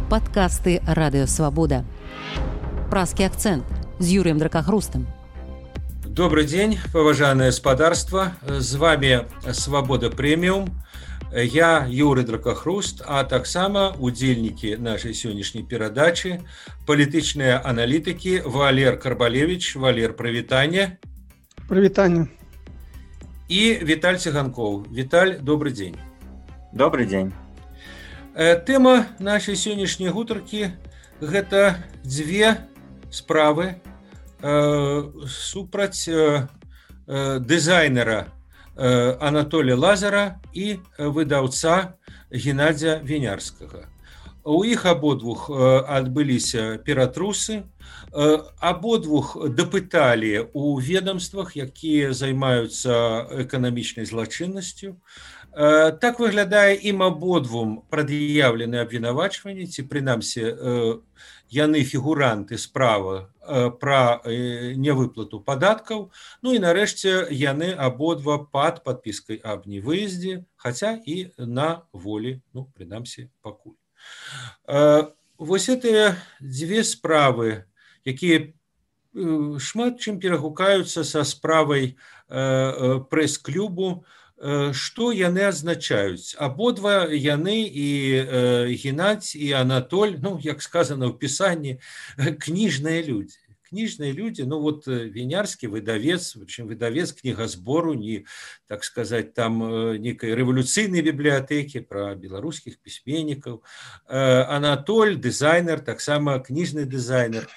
подкасты «Радио Свобода». «Праский акцент» с Юрием Дракохрустом. Добрый день, поважанное господарство. С вами «Свобода Премиум». Я Юрий Дракохруст, а таксама удзельнікі нашай сённяшняй перадачы палітычныя аналітыкі Валер Карбалевич. Валер, прывітанне. Прывітанне. І Віталь Цыганкоў. Віталь, добрый дзень. Добрый дзень. Тэма нашай сённяшняй гутаркі – гэта дзве справы супраць дызайнера Анатолія Лазара і выдаўца Геннадзя Вінярскага. У іх абодвух адбыліся ператрусы, абодвух дапыталі ў ведомствах, якія займаюцца эканамічнай злачыннасцю. Так выглядае, ім абодвум прад'яўлены абвінавачванні, ці прынамсі яны фігуранты справы пра нявыплату падаткаў. Ну і нарэшце яны абодва пад падпіскай аб невыездзе, хаця і на волі, ну, прынамсі, пакуль. Вось гэтыя дзве справы, якія шмат чым перагукаюцца са справай прэс-клубу, што яны азначаюць? Абодва яны, і Геннадзь, і Анатоль, ну, як сказано ў пісанні, кніжныя людзі. Кніжныя людзі, ну вот Вінярскі выдавец, прычым выдавец кнігазбору, не, так сказаць, там нейкай рэвалюцыйнай бібліятэкі пра беларускіх пісьменнікаў. Анатоль, дызайнер, таксама кніжны дызайнер.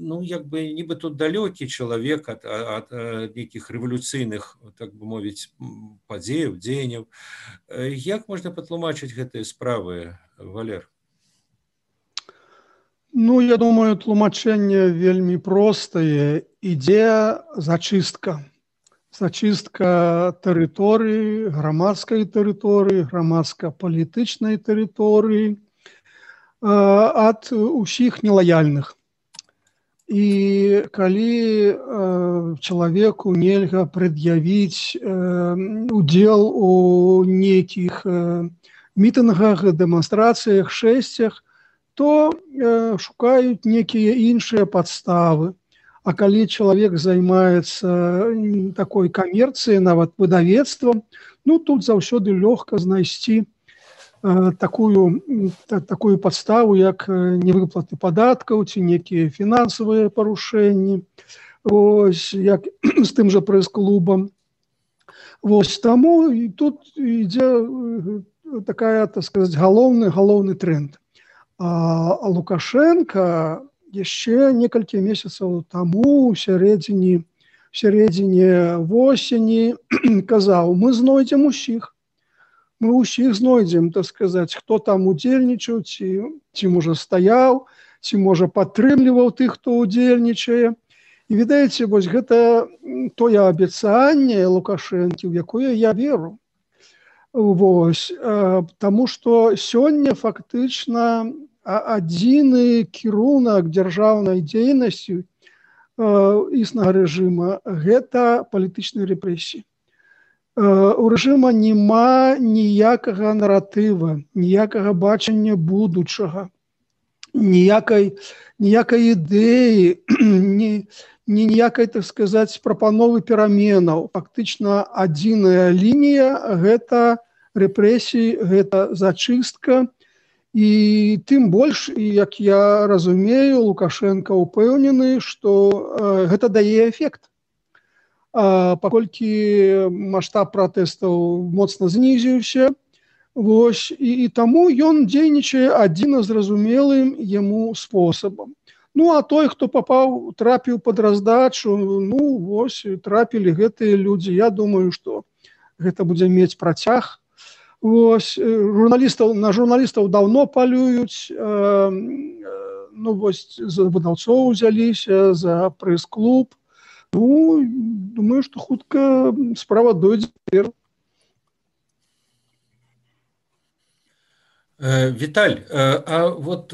Ну, як бы, нібы тут далёкі чалавек ад нейкіх рэвалюцыйных, так бы мовіць, падзеяў, дзеянняў. Як можна патлумачыць гэтыя справы, Валер? Ну, я думаю, тлумачэнне вельмі простае. Ідзе зачыстка. Зачыстка тэрыторыі, грамадскай тэрыторыі, грамадска-палітычнай тэрыторыі ад усіх нелаяльных. І калі чалавеку нельга прад'явіць удзел у нейкіх мітынгах, дэманстрацыях, шэсцях, то шукаюць нейкія іншыя падставы. А калі чалавек займаецца такой камерцыяй, нават выдавецтвам, ну тут заўсёды лёгка знайсці такую падставу, як невыплаты падаткаў ці нейкія фінансавыя парушэнні, ось, як з тым жа прэс-клубам. Вось таму і тут ідзе такая, так сказаць, галоўны тренд. А Лукашенко яшчэ некалькі месяцаў таму, у сярэдзіне восені, казаў: мы знойдзем усіх. Мы ўсіх знойдзем, так сказаць, хто там удзельнічаў, ці можа стаяў, ці можа падтрымліваў тых, хто удзельнічае. І відаеце, вось гэта тое абяцанне Лукашэнкі, у якое я веру. Вось, таму што сёння фактычна адзіны кірунак дзяржаўнай дзейнасці існага рэжыма – гэта палітычныя рэпрэсіі. У рэжыма няма ніякага наратыва, ніякага бачання будучага, ніякай ідэі, ніякай, так сказаць, прапановы пераменаў. Фактычна адзіная лінія – гэта рэпрэсіі, гэта зачыстка. І тым больш, як я разумею, Лукашенко ўпэўнены, што гэта дае эфект. Паколькі маштаб пратэстаў моцна знізіўся, вось, і таму ён дзейнічае адзіна зразумелым яму спосабам. Ну, а той, хто трапіў пад раздачу, ну, вось, трапілі гэтыя людзі. Я думаю, што гэта будзе мець працяг. Вось, на журналістаў даўно палююць, ну, вось, за выдаўцоў узяліся, за прэс-клуб. Ну, думаю, што хутка справа дойдзе. Віталь, а вот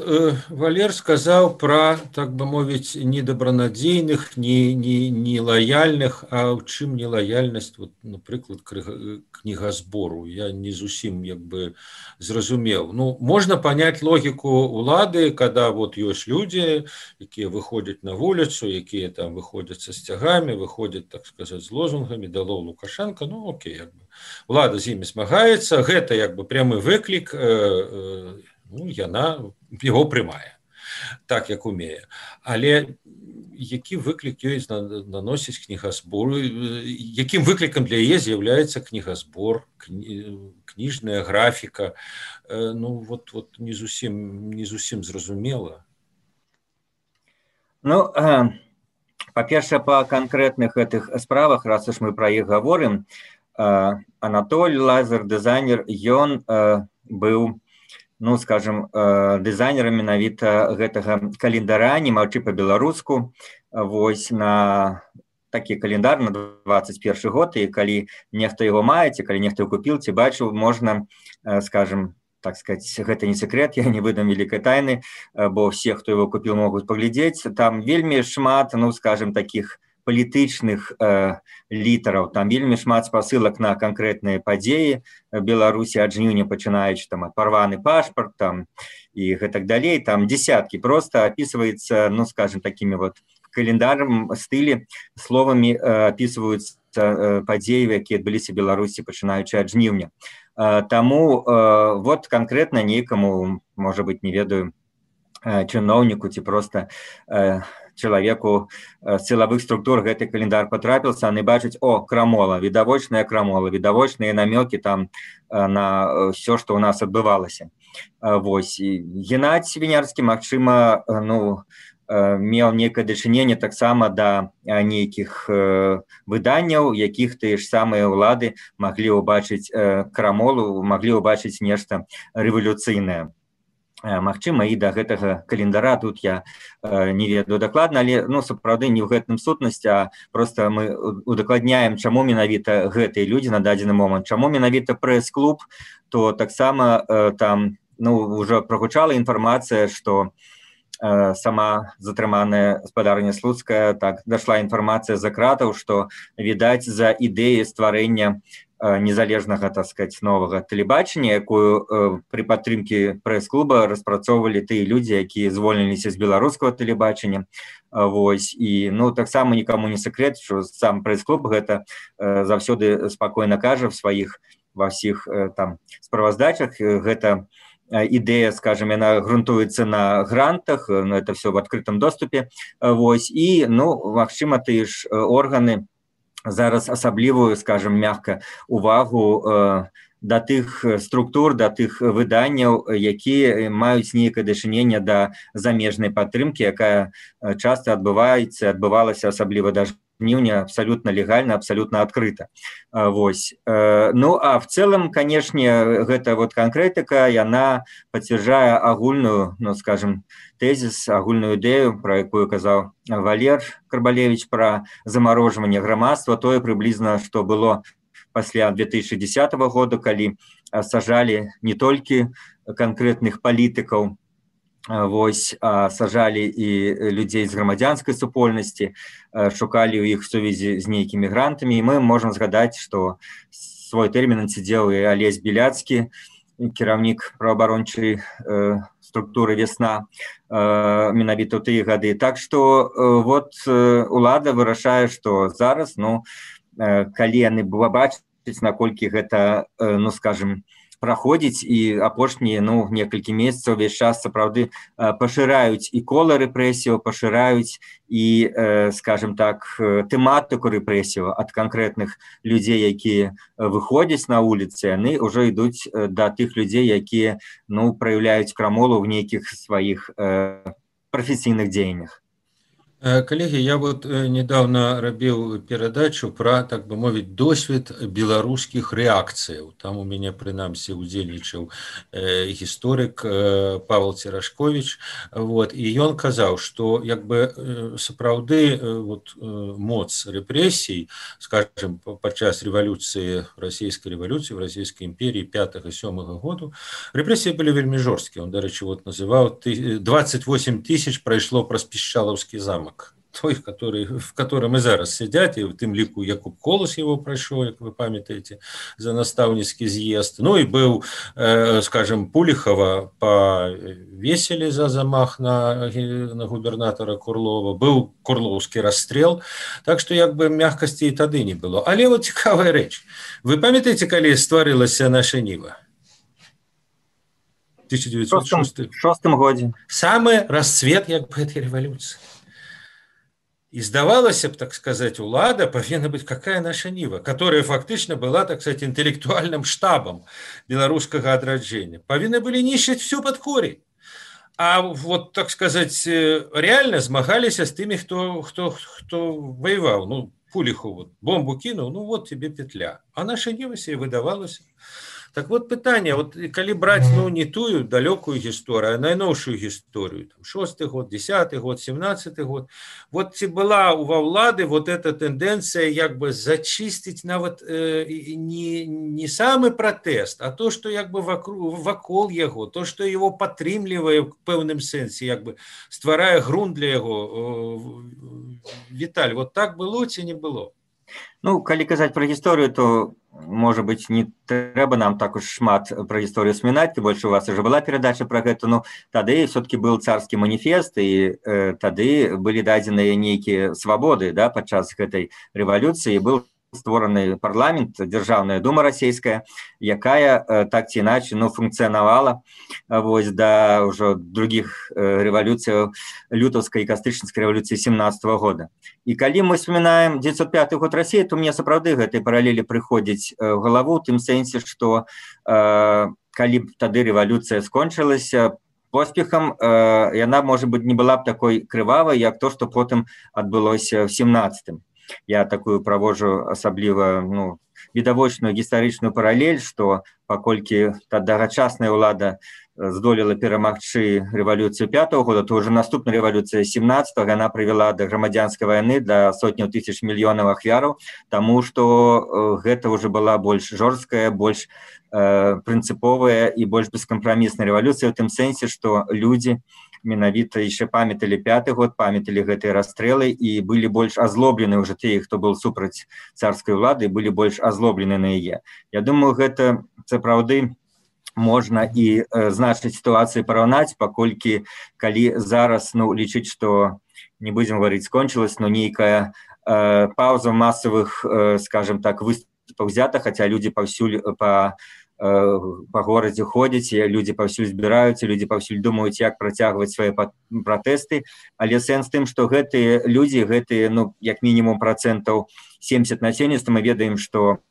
Валер сказаў пра, так бы мовіць, недобранадзейных, не лаяльных, а ў чым нелаяльнасць, вот, напрыклад, кнігазбору. Я не зусім як бы зразумеў. Ну, можна понять логіку улады, когда вот ёсць людзі, якія выходзяць на вуліцу, якія там выходзяць са сцягамі, выходзяць, так сказаць, з лозунгамі «Долой Лукашенко», ну, окей, як бы. Улада з імі змагаецца, гэта як бы прямы выклік, ну, яна яго прымае, так як умее. Але які выклік ёй наносіць кнігазбору, якім выклікам для яе з'яўляецца кнігазбор, кніжная графіка, ну, вот не зусім зразумела. Ну, па-першае, па канкрэтных гэтых справах, раз уж мы пра іх гаворым, Анатоль Лазар, дызайнер, ён быў, ну, скажем, дызайнерам менавіта гэтага календара «Не маўчы па-беларуску». Вось на такі календар на 21 год, і калі нехта яго мае, ці калі нехта яго купіў, ці бачыў, можна, скажем, так сказать, гэта не секрет, я не выдам вялікай тайны, бо все, хто яго купіў, могуць паглядзець. Там вельмі шмат, ну, скажем, такіх палітычных літараў, там вельмі шмат спасылак на канкрэтныя падзеі Беларусі ад жніўня, пачынаючы там ад парваны пашпарт там і гэтак далей, там десяткі, просто опісваецца, ну, скажем, такімі вот календарам стылі, словамі опісваюцца падзеі, якія адбыліся в Беларусі, пачынаючы ад жніўня. Таму вот канкрэтна нейкаму, можа быць, не ведаю, чыноўніку ці просто чалавеку з сілавых структур гэты календар патрапіўся, яны бачаць, о, крамола, відавочная крамола, відавочныя намёкі там на ўсё, што ў нас адбывалася. Вось, Геннадзь Вінярскі, магчыма, ну, меў нейкае дачыненне таксама да нейкіх выданняў, якіх тыя ж самыя ўлады маглі ўбачыць крамолу, маглі ўбачыць нешта рэвалюцыйнае. Магчыма, і да гэтага календара тут я не ведаю дакладна, але, ну, сапраўды не ў гэтым сутнасць, а просто мы удакладняем, чаму менавіта гэтыя людзі на дадзены момант, чаму менавіта прэс-клуб, то таксама там, ну, ўжо прагучала інфармацыя, што сама затрыманая спадарня Слуцкая, так, дашла інфармацыя за кратаў, што, відаць, за ідэі стварэння незалежнага, так сказать, новага тэлебачання, якую пры падтрымке прэс-клуба распрацоўвалі тыя людзі, якія звольніліся з беларускага тэлебачання. Вось, і, ну, таксама нікому не секрет, што сам прэс-клуб гэта заўсёды спакойна кажа ва ўсіх там справаздачах. Гэта ідэя, скажем, яна грунтуецца на грантах, это все в адкрытым доступе. Вось, і, ну, магчыма, тыя ж органы зараз асаблівую, скажем, мягка, увагу да тых структур, да тых выданняў, якія маюць нейкае дачыненне да замежнай падтрымкі, якая часта адбывалася, асабліва да жніўня, абсолютно легальна, абсолютно адкрыта. Вось. Ну, а в целом, конечно, гэта вот конкретика, яна пацвярджае агульную, ну, скажем, тезис, агульную ідэю, про якую казаў Валер Карбалевич, про замарожванне грамадства, тое прыблізна, што было пасля 2010 года, калі сажалі не толькі канкрэтных палітыкаў, вось, сажалі і людзей з грамадзянскай супольнасці, шукалі ў іх сувязі з нейкімі грантамі, і мы можам згадаць, што свой тэрмін адсядзеў і Алесь Беляцкі, кіраўнік праваабарончай структуры «Весна», менавіта ў тыя гады. Так што вот улада вырашае, што зараз, ну, калі яны бачаць, наколькі гэта, ну, скажем, праходзіць, і апошнія, ну, некалькі месяцаў увесь час сапраўды пашыраюць і кола рэпрэсіяў, пашыраюць і, скажем так, тэматыку рэпрэсіяў ад канкрэтных людзей, якія выходзяць на вуліцы, яны ўжо ідуць да тых людзей, якія, ну, праяўляюць крамолу ў нейкіх сваіх прафесійных дзеяннях. Коллеги, я вот недавно рабіў перадачу про, так бы мовіць, досвед беларускіх рэакцыяў. Там у мяне прынамсі удзельнічаў гісторык Павел Церашкович. Вот, і ён казаў, што як бы сапраўды вот, моц рэпрэсій, скажем, падчас рэвалюцыі, расійскай рэвалюцыі, в расійскай імперіі 5 і 7 году, рэпрэсіі былі вельмі жорсткія. Он, дарэчы, вот называў 28 тысяч прайшло праз Пішчалаўскі замак. Той, в котором и зараз сидят, и в тым ліку Якуб Колас его прошел, как вы памятаете, за наставницкий з'езд. Ну и был, скажем, Пулихова повесили за замах на губернатора Курлова, был Курловский расстрел, так что як бы мягкости и тады не было. Але вот цікавая рэч. Вы памятаете, калі стварылася наша Нива? 1906 годзе. Самый расцвет як бы этой революции. И здавалася б, так сказать, улада повинна быть какая наша Нива, которая фактично была, так сказать, интеллектуальным штабом белорусского отраджения. Повинны были нищить все под корень. А вот, так сказать, реально змагались с теми, кто воевал. Ну, Пулиху вот бомбу кинул, ну вот тебе петля. А наша Нива себе выдавалась. Так вот пытанне, вот калі браць ну не тую далёкую гісторыю, а найноўшую гісторыю, 6-й год, 10-й год, 17-й год, вот ці была ва ўлады вот эта тэндэнцыя як бы зачысціць нават не самы пратэст, а то, што як бы вакол яго, то, што его падтрымлівае ў пэўным сэнсе, як бы стварае грунт для яго. Віталь, вот так было ці не было? Ну, калі казаць пра гісторыю, то, можа быць, не трэба нам так уж шмат пра гісторыю смінаць, тым больш у вас уже была перадача пра гэта, ну, тады все-таки был царскі маніфест, і тады былі дадзеныя нейкія свабоды, да, падчас гэтай рэвалюцыі, был створаны парламент, Дзяржаўная дума расійская, якая так ці іначай ну, функцыянавала вось, да ўжо другіх рэвалюцыяў лютаўскай і кастрычніцкай рэвалюцыі 17 года. І калі мы вспоминаем 905 год Расіі, то мне сапраўды гэтай паралелі прыходзіць в галаву, у тым сэнсе, што калі б тады рэвалюцыя скончылася поспехам, яна, можа быць, не была б такой крывавай, як то, што потым адбылося в 17-м. Я такую праводжу асабліва ну, відавочную гістарычную паралель, што паколькі тагачасная ўлада здолела перамагчы рэвалюцыю 5-го года, то ўжо наступная рэвалюцыя 17-го яна прывяла да грамадзянскай вайны, да сотняў тысяч мільёнаў ахвяраў, таму што гэта ўжо была больш жорсткая, больш прынцыповая і больш бескампрамісная рэвалюцыя ў тым сэнсе, што людзі менавіта яшчэ памяталі 5-й год, памяталі гэтыя расстрэлы і былі больш азлоблены ўжо тыя, хто быў супраць царскай улады, былі больш азлоблены на яе. Я думаю, гэта сапраўды можна і значнай сітуацыі параўнаць, паколькі калі зараз ну, лічыць, што не будзем гаварыць скончылась, но нейкая пауза масавых, скажем так, выступаў взята, хаця людзі паўсюль па горадзе ходзяць, людзі паўсюль збіраюцца, людзі паўсюль думаюць, як працягваць свае пратэсты, але сэнс тым, што гэтыя людзі, гэтыя, ну, як мінімум процентаў 70 насельніцтва, мы ведаем, што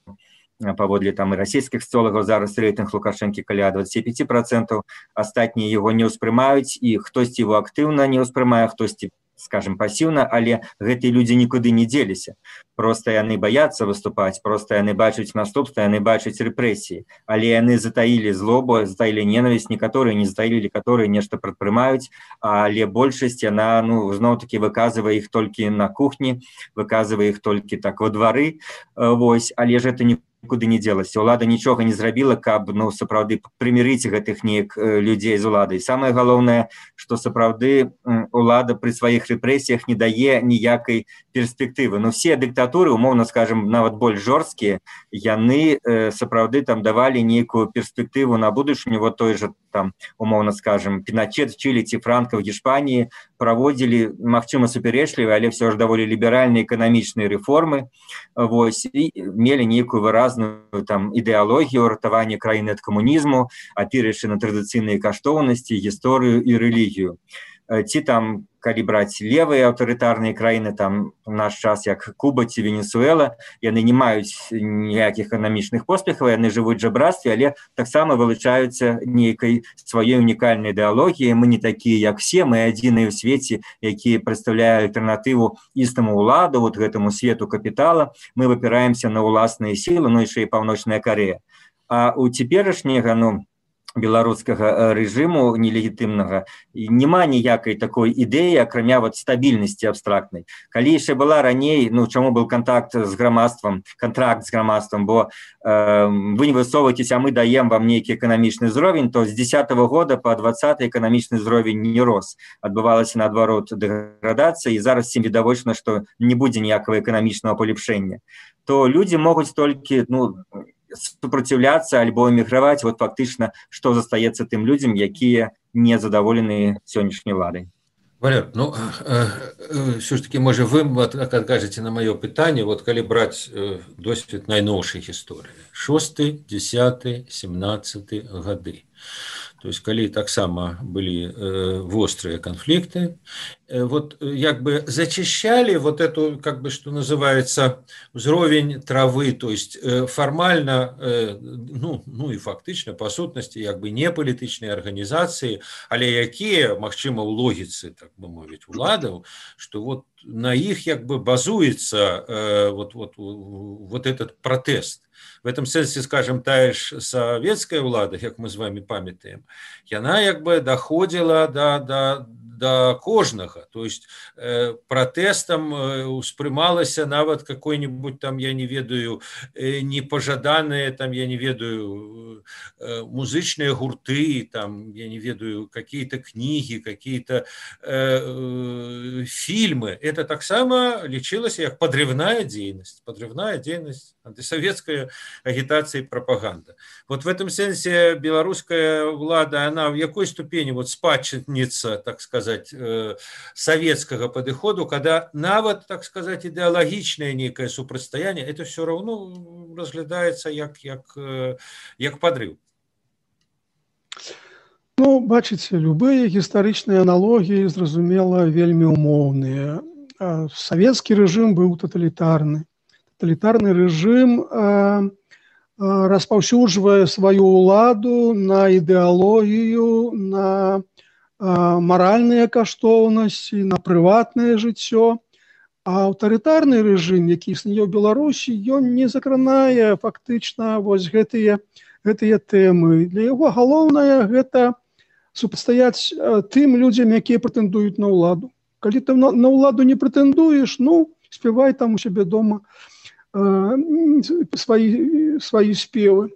паводле там і расійскіх соціолагаў зараз рэйтынг Лукашэнкі каля 25%, астатнія яго не ўспрымаюць, і хтосьці яго актыўна не ўспрымае, хтосьці скажем, пасіўна, але гэтыя людзі нікуды не дзеліся. Проста яны баяцца выступаць, проста яны бачаць наступства, яны бачаць рэпрэсіі, але яны затаілі злобу, затаілі ненавісць, некаторыя не затаілі, некаторыя нешта прадпрымаюць, але большасць яна, ну, зноў-такі выказвае іх толькі на кухні, выказвае іх толькі так во двары, вось, але ж гэта нікуды не дзелася. Улада нічога не зрабіла, каб, ну, сапраўды прымірыць гэтых неяк людзей з уладай. Самае галоўнае, што сапраўды улада пры сваіх рэпрэсіях не дае ніякай перспектывы. Ну, все дыктатуры, умоўна скажем, нават больш жорсткія, яны сапраўды там давалі нейкую перспектыву на будучыню. Вот той же там, умоўна скажем, Піначет в Чилі ці Франка в Гішпаніі праводзілі, магчыма, супярэчлівыя, але все ж даволі ліберальныя эканамічныя рэформы, вось, і мелі нейкую выразную там ідэалогію ратавання краіны ад камунізму, апіраючы на традыцыйныя каштоўнасці, гісторыю і рэлігію. Ці там калі браць левыя аўтарытарныя краіны, там у наш час як Куба ці Венесуэла, яны не маюць ніякіх эканамічных поспехаў, яны жывуць жабрацтве, але таксама вылучаюцца нейкай сваёй унікальнай ідэалогіяй. Мы не такія, як все, мы адзіныя ў свеце, якія прадстаўляюць альтэрнатыву існаму ўладу, вот гэтаму свету капітала. Мы выпіраемся на ўласныя сілы, ну яшчэ і Паўночная Карэя. А у цяперашняга, беларускага рэжыму нелегітымнага няма ніякай такой ідэі, акрамя вот стабільнасці абстрактнай. Калі яшчэ была раней, чаму быў контракт з грамадствам, бо вы не высоўваецеся, а мы даем вам нейкі эканамічны ўзровень, то з 10-го года по 20-й эканамічны ўзровень не рос. Адбывалася наадварот дэградацыя, і зараз всім відавочна, што не будзе ніякага эканамічнага палепшэння. То людзі могуць толькі, супраціўляцца альбо эміграваць, вот фактычна, што застаецца тым людзям, якія не задаволены сённяшняй уладай. Валер, все ж таки, можа, вы адкажаце на маё пытанне, вот калі браць досвед найноўшай гісторыі, 6, 10, 17 гады. То есть, калі таксама былі вострыя канфлікты, вот як бы зачищали вот эту, как бы, что называется, уровень травы, то есть формально, и фактично, по сутнасці, як бы не палітычныя арганізацыі, але якія, магчыма, ў логіцы, так бы мовіць, уладаў, что вот на іх як бы базуецца вот этот протест. В этом сэнсе, скажем, тая ж савецкая ўлада, як мы з вами памятаем, яна як бы доходила до кожнага, то есть протестом успрымалася нават какой-нибудь там, я не ведаю, непожаданные там, я не ведаю, музычные гурты, там, я не ведаю, какие-то книги, какие-то фильмы. Это таксама лічылася як подрывная дзейнасць, антисоветская агитация и пропаганда. Вот в этом сенсе белорусская влада, она в какой ступени вот спадчынница, так сказать, советского подхода, когда нават, так сказать, идеологичное некое супрацьстаяние, это все равно разглядается як подрыв. Бачыце, любые гістарычныя аналогіі, зразумела, вельмі умоўныя. Савецкі рэжым быў таталітарны. Таталітарны рэжым распаўсюджвае сваю ўладу на ідэалогію, на маральныя каштоўнасці, на прыватнае жыццё. А аўтарытарны рэжым, які існуе ў Беларусі, ён не закранае фактычна вось гэтыя тэмы. Для яго галоўнае гэта супрацьстаяць тым людзям, якія прэтэндуюць на ўладу. Калі ты на ўладу не прэтэндуеш, спявай там у сябе дома свае спевы.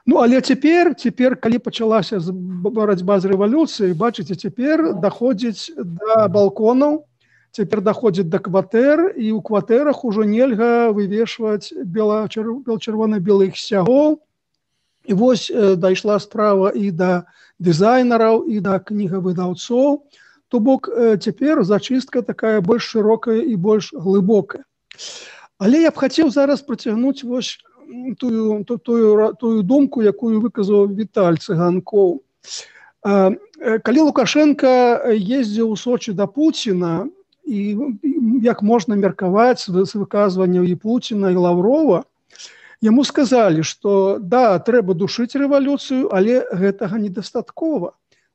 Але цяпер, калі пачалася барацьба з рэвалюцыяй, бачыце, цяпер даходзіць да балконаў, цяпер даходзіць да кватэр, і ў кватэрах ужо нельга вывешваць чырвона-белых сцягоў. І вось дайшла справа і да дызайнераў, і да кнігавыдаўцоў. То бок цяпер зачыстка такая больш шырокая і больш глыбокая. Але я б хацеў зараз працягнуць вось тую думку, якую выказаў Віталь Цыганкоў. Калі Лукашенко ездзіў у Сочи да Пуціна, і як можна меркаваць з выказванняў і Пуціна, і Лаврова, яму сказалі, што да, трэба душыць рэвалюцыю, але гэтага недастаткова.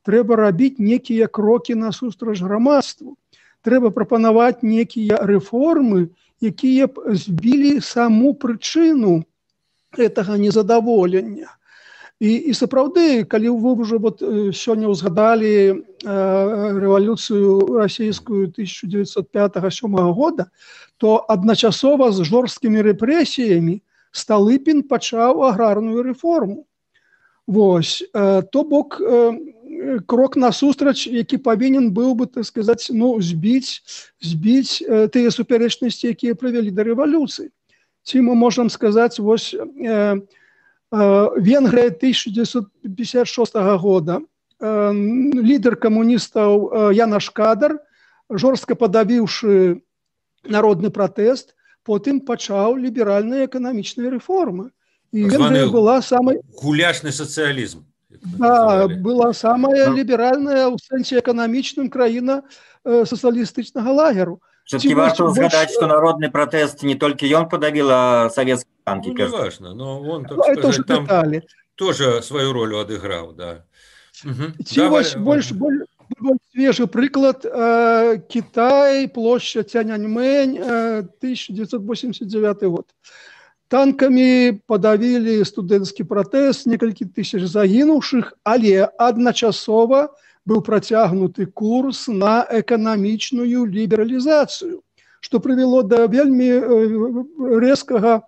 Трэба рабіць некія крокі насустрач грамадству. Трэба прапанаваць некія рэформы, якія б збілі саму прычыну гэтага незадаволення. І сапраўды, калі вы ўжо сёння ўзгадалі рэвалюцыю расійскую 1905-1907 года, то адначасова з жорсткімі рэпрэсіямі Сталыпін пачаў аграрную рэформу. Вось, то бок крок насустрач, які павінен быў бы, так сказаць, збіць тыя супярэчнасці, якія прывялі да рэвалюцыі. Ці мы можам сказаць, вось Венгрыя 1956 года, лідар камуністаў Янош Кадар, жорстка падавіўшы народны пратэст, потым пачаў ліберальныя эканамічныя рэформы. І Венгрыя была самай... Гуляшны сацыялізм. Да, была самая ліберальная ў сэнсе эканамічным краіна сацыялістычнага лагеру. Все-таки варто узгадать, что народный протест не только он подавил, а советские танки. Ну, не важно, но он, так это сказать, там детали. Тоже свою роль отыграл, да. Ці вось больш свежий прыклад. Китай, площадь Тяньаньмэнь, 1989 год. Танками подавили студэнцкі пратэст, некалькі тысяч загінуўшых, але адначасова быў працягнуты курс на эканамічную лібералізацыю, што прывяло да вельмі рэзкага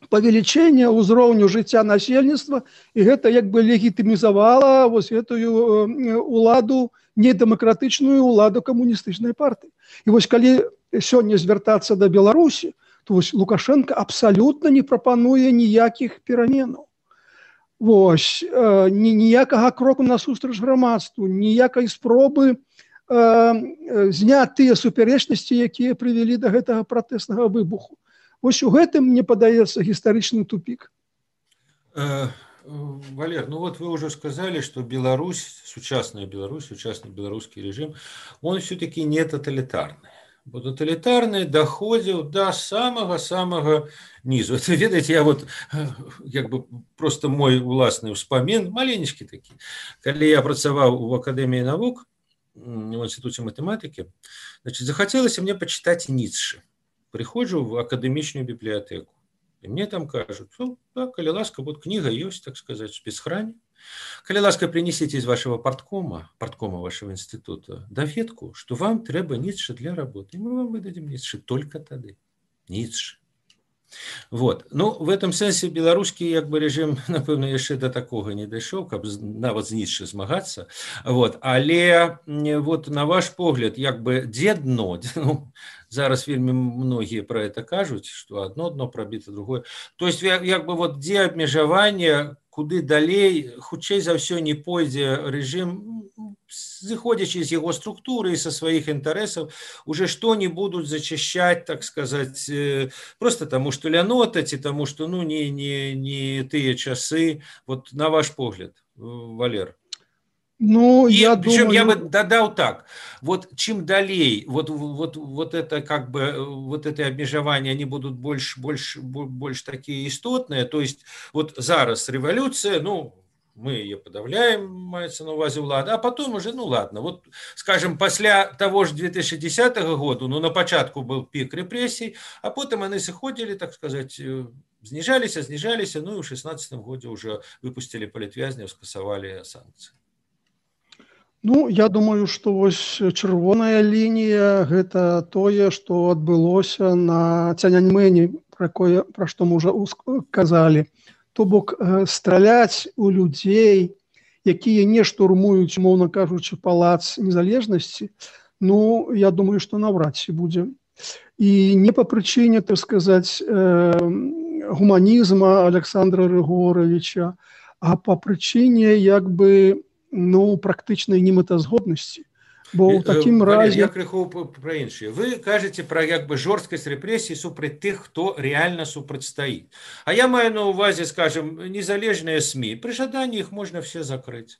павелічэння ўзроўню жыцця насельніцтва, і гэта як бы легітымізавала вось гэтую уладу, недэмакратычную уладу камуністычнай партыі. І вось калі сёння звяртацца да Беларусі, то вось Лукашенко абсалютна не прапануе ніякіх пераменаў. Вось, ніякага кроку насустрач грамадству, ніякай спробы зняць тыя супярэчнасці, якія прывялі да гэтага пратэснага выбуху. Вось у гэтым, мне падаецца, гістарычны тупик. Валер, ну вот вы уже сказали, что Беларусь, сучасный белорусский режим, он все-таки не тоталитарный. Бо тоталитарный доходил до самого-самого низу. Это, видите, я вот, как бы, просто мой власный вспомин, маленечкі такі. Когда я працаваў в Академии наук, в Институте математики, значит, захотелось мне почитать Ницше. Приходжу в академичную библиотеку, и мне там кажут, ну, да, коли ласка, вот книга есть, так сказать, в спецхране. Коли ласка, принесите из вашего порткома вашего института, доведку, что вам треба Ницше для работы. И мы вам выдадим Ницше только тогда. Ницше. Вот. Ну, в этом сенсе белорусский, как бы, режим, напевно, еще до такого не дошел, как нават з Ницше змагаться. Вот. Але вот на ваш погляд, как бы, де дно? Ну, зараз вельмі многие про это кажут, что одно дно пробито, другое. То есть, как бы, вот где обмежаванне, куды далей, хутчэй за все не пойдзе режим, заходячи из его структуры и со своих интересов, уже что не будут зачищать, так сказать, просто тому, что лянотать, и тому, что, ну, не тыя часы. Вот на ваш погляд, Валер. Ну, и, я причем думаю... я бы додал так, вот чем далей, вот это, как бы, вот это обмежевание, они будут больше такие истотные, то есть вот зараз революция, ну, мы ее подавляем, мається на увазі влада, а потом уже, ну ладно, вот, скажем, после того же 2010 года, ну, на початку был пик репрессий, а потом они сходили, так сказать, снижались, ну, и в 2016 году уже выпустили политвязней, скасовали санкции. Ну, я думаю, што вось чырвоная лінія – гэта тое, што адбылося на Тяньаньмэні, пра што мы ўжо казалі. То бок, страляць у людзей, якія не штурмуюць, умоўна кажучы, палац незалежнасці, ну, я думаю, што наўрад ці будзе. І не па прычыне, так сказаць, гуманізма Александра Рыгоровича, а па прычыне, як бы, ну, практычнай немэтазгоднасці. Бо ў такім разе... Я крыху пра іншае. Вы кажаце пра, як бы, жорсткасць рэпрэсій супраць тых, хто реально супрацьстаіць. А я маю на увазе, скажем, незалежныя СМИ. При жадании их можно все закрыть.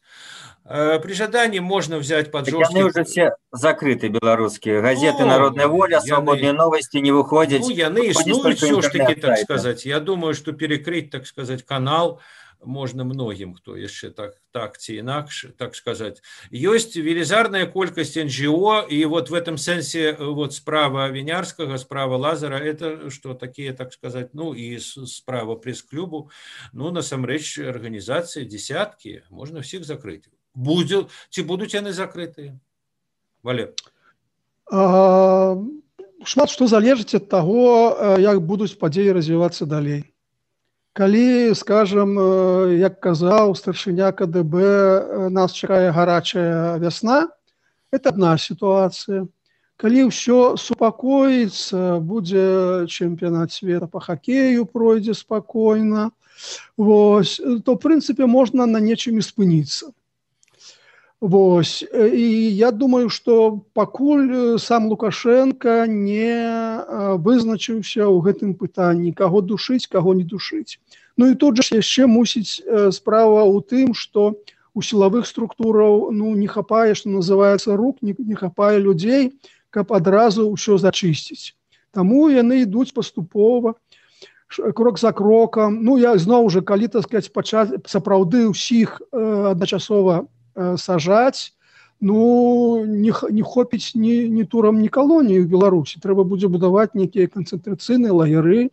При жадании можно взять под жорсткие... Яны уже все закрыты, белорусские. Газеты «Народная воля», «Свободные новости» не выходят. Ну, яны існуюць все ж таки, так сказать. Я думаю, что перекрыть, так сказать, канал можно многим, кто еще так ці інакш, так сказать. Есть велізарная колькость НГО, и вот в этом сенсе вот справа Винярского, справа Лазара, это что такие, так сказать, ну и справа пресс-клубу, ну, насамрэч, организации десятки, можно всех закрыть. Ці будуць яны закрытыя? Валер. Шмат што залежыць ад таго, як будуць падзеі развівацца далей. Калі, скажем, як казаў старшыня КДБ, нас чакае гарачая вясна, это одна ситуация. Калі ўсё супакоіцца, будзе чэмпіянат свету по хоккею, пройдзе спакойна, вось, то, в прынцыпе, можна на нечым і спыніцца. Вось. І я думаю, што пакуль сам Лукашенко не вызначыўся ў гэтым пытанні, каго душыць, каго не душыць. Ну і тут жа яшчэ мусіць справа ў тым, што у сілавых структураў не хапае, што называецца, рук, не хапае людзей, каб адразу ўсё зачысціць. Таму яны ідуць паступова, крок за крокам. Я зноў жа, калі, так сказаць, пачаць сапраўды ўсіх адначасова сажаць, не хопіць ні турам, ні калоніі ў Беларусі. Трэба будзе будаваць нейкія канцэнтрацыйныя лагеры.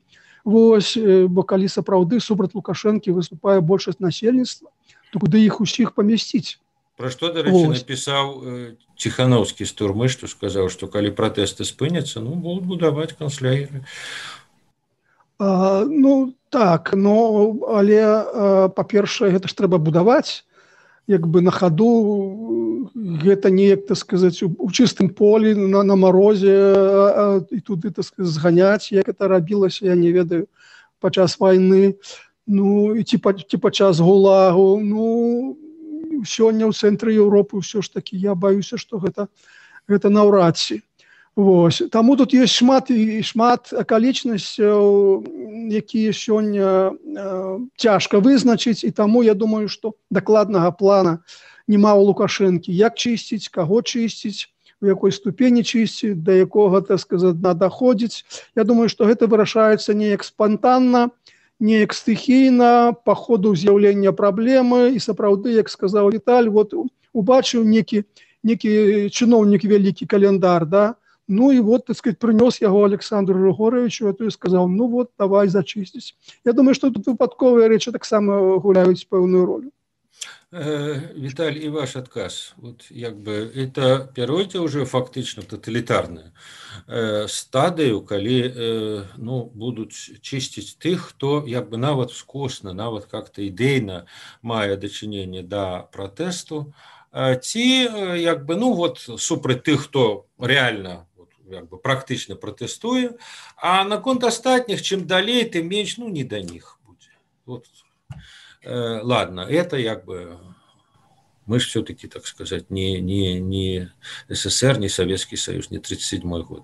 Вось, бо калі сапраўды супраць Лукашэнкі выступае большасць насельніцтва, то куды іх усіх памясціць? Пра што, дарэчы, напісаў Ціханаўскі з турмы, што сказаў, што калі пратэсты спыняцца, будуць будаваць канцлагеры. Так, але, па-першае, гэта ж трэба будаваць, на хаду, гэта неяк, так сказаць, у чыстым полі, на марозе, і туды, так сказаць, зганяць, як это рабілася, я не ведаю, падчас вайны, ці падчас ГУЛАГу. Сёння ў цэнтры Еўропы ўсё ж такі, я баюся, што гэта наўрад ці. Таму тут ёсць шмат акалічнасцяў, якія сёння цяжка вызначыць, і таму я думаю, што дакладнага плана няма ў Лукашэнкі. Як чысціць, каго чысціць, у якой ступені чысціць, да якога, так сказаць, надыходзіць. Я думаю, што гэта вырашаецца неяк спантанна, неяк стыхійна, па ходу з'яўлення праблемы, і сапраўды, як сказаў Віталь, убачыў некі чыноўнік вялікі календар, да? І так сказать, прынёс яго Александру Григоровичу, і сказаў, давай зачысціць. Я думаю, што тут выпадковыя рэчы таксама гуляюць пэўную ролю. Віталь, і ваш адказ. Это пяройдзе ўжо фактычна таталітарную стадыю, калі будуць чысціць тых, хто нават скосна, нават как-то ідэйна мае дачыненне да пратэсту, ці супраць тых, хто рэальна практычна пратэстуе, а наконт астатніх, чым далей, тым менш, не да них будзе. Ладно, это мы ж все-таки, так сказать, не СССР, не Советский Союз, не 1937 год.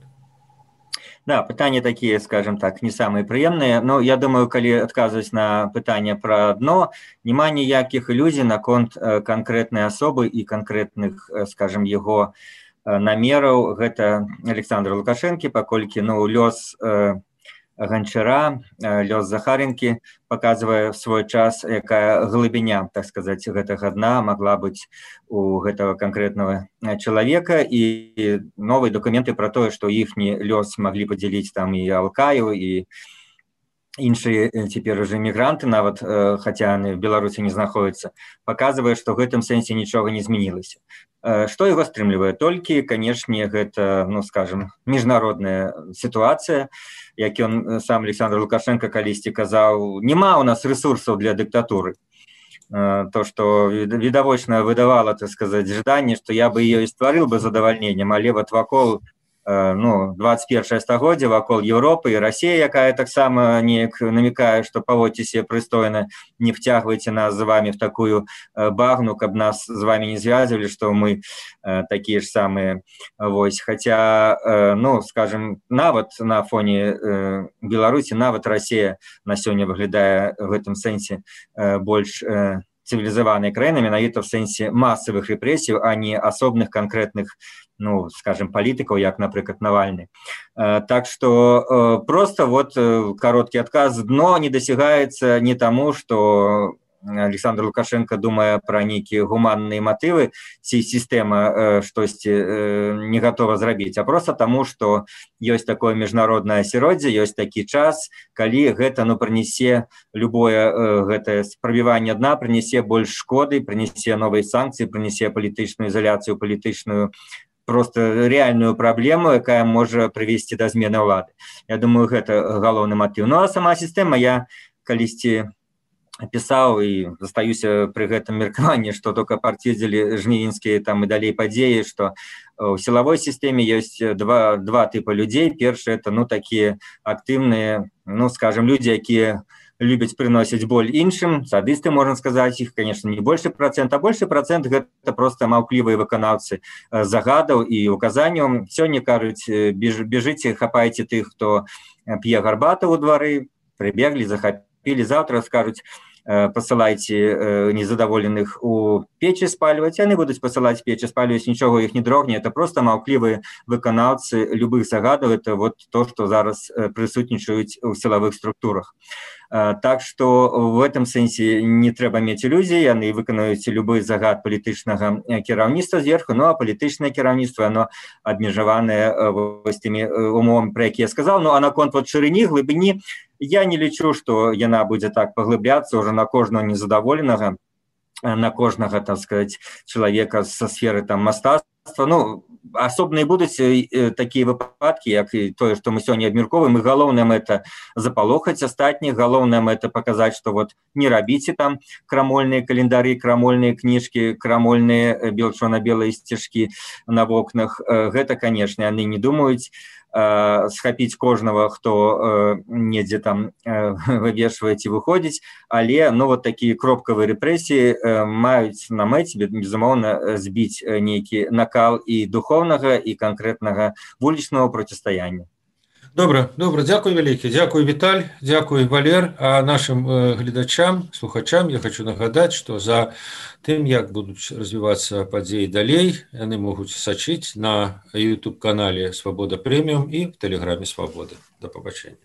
Да, пытанні такія, скажем так, не самыя прыемныя, я думаю, калі адказваць на пытанне пра дно, няма ніякіх ілюзій наконт канкрэтнай асобы і канкрэтных, скажем, яго намераў. Гэта Александр Лукашэнкі, паколькі лёс Ганчара, лёс Захаренкі показывае в свой час, якая глыбіня, так сказаць, гэтага дна могла быць у гэтага канкрэтнага чалавека, і новыя дакументы пра тое, што іхні лёс маглі падзяліць там і Алкаю, і іншыя цяпер уже мігранты, нават хаця яны в Беларусі не знаходзяцца, паказвае, што ў гэтым сэнсе нічога не змянілася. Што яго стрымлівае? Толькі, канешне, гэта, скажем, міжнародная сітуацыя, як ён сам Александр Лукашенко калісьці казаў, няма у нас ресурсаў для дыктатуры. То, што відавочна выдавала, так сказаць, жаданне, што я бы ёй стварыў бы задавальненнем, але вакол 21 стагоддзя, вакол Еўропы і Расія, якая таксама неяк намекае, што паводзьце себе прыстойна, не втягвайце нас з вами в такую багну, каб нас з вами не звязвалі, што мы такія ж самыя. Хаця, скажем, нават на фоне Беларусі, нават Расія на сёння выглядае в гэтым сэнсе больш цывілізаванай краінай, менавіта в сэнсе масавых рэпрэсій, а не асобных канкрэтных, скажем, палітыкаў, як, напрыклад, Навальны. Так што просто кароткі адказ. Дно не дасягаецца не таму, што Александр Лукашенко думае пра нейкія гуманныя матывы, ці сістэма штосьці не гатова зрабіць, а просто таму, што ёсць такое міжнароднае асяроддзе, ёсць такі час, калі гэта прынясе любое гэтае прабіванне дна, прынясе больш шкоды, прынясе новыя санкцыі, прынясе палітычную ізаляцыю, палітычную просто реальную праблему, якая можа прывесці да змены ўлады. Я думаю, гэта галоўны матыў. А сама сістэма, я калісьці пісаў і застаюся пры гэтым меркаванні, што только пацвердзілі жнівеньскія там і далей падзеі, што у сілавой сістэме ёсць два тыпа людзей. Першы — это такія актыўныя, скажем, людзі, якія любяць прыносіць боль іншым, садысты, можна сказаць, іх, конечно, не большы процент, а большы процент гэта проста маўклівыя выканаўцы загадаў і указанняў. Сёння кажуць, бежыце, хапайце тых, хто п'е гарбату ў двары, прыбеглі, захапілі, заўтра скажуць, пасылайце незадаволеных у печы спальваць, яны будуць пасылаць печы спальваць, нічога іх не дрогне, это проста маўклівыя выканаўцы любых загадаў, это вот то, што зараз прысутнічаюць у сілавых структурах. Так што в этом сэнсе не трэба мець ілюзій, яны выканаюць любы загад палітычнага кіраўніцтва зверху, ну а палітычнае кіраўніцтва, оно абмежаванае вось тымі умовамі, пра якія я сказаў. Ну а наконт вот шырыні, глыбіні, я не лічу, што яна будзе так паглыбляцца ўжо на кожнага незадаволенага, на кожнага, так сказать, чалавека са сферы там мастацтва. Ну, асобныя будуць такія выпадкі, як і тое, што мы сёння абмяркоўваем, і галоўнае мэта запалохаць астатніх, галоўнае мэта паказаць, што вот не рабіце там крамольныя календары, крамольныя кніжкі, крамольныя белчорна-белыя сцяжкі на вокнах. Гэта, канешне, яны не думаюць схапіць кожнага, хто недзе там вывешвае ці выходзіць, але ну вот такія кропкавыя рэпрэсіі маюць на мэце, безумоўна, збіць нейкі накал і духоўнага, і канкрэтнага вулічнага процістаяння. Добра, дзякуй вялікі, дзякуй Віталь, дзякуй Валер, а нашим гледачам, слухачам я хочу нагадаць, што за тым, як будуць развівацца падзеі далей, яны могуць сачыць на YouTube-канале «Свабода Прэміум» і в Тэлеграме «Свабода». Да пабачэння.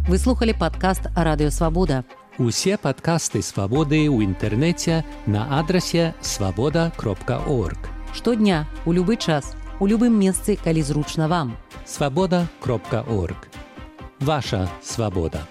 Вы слухали падкаст «Радыё Свабода». Усе падкасты «Свабоды» ў інтэрнэце на адрасе свабода.орг. Штодня, у любы час, у любым месцы, калі зручна вам. Свабода.орг. Ваша свабода.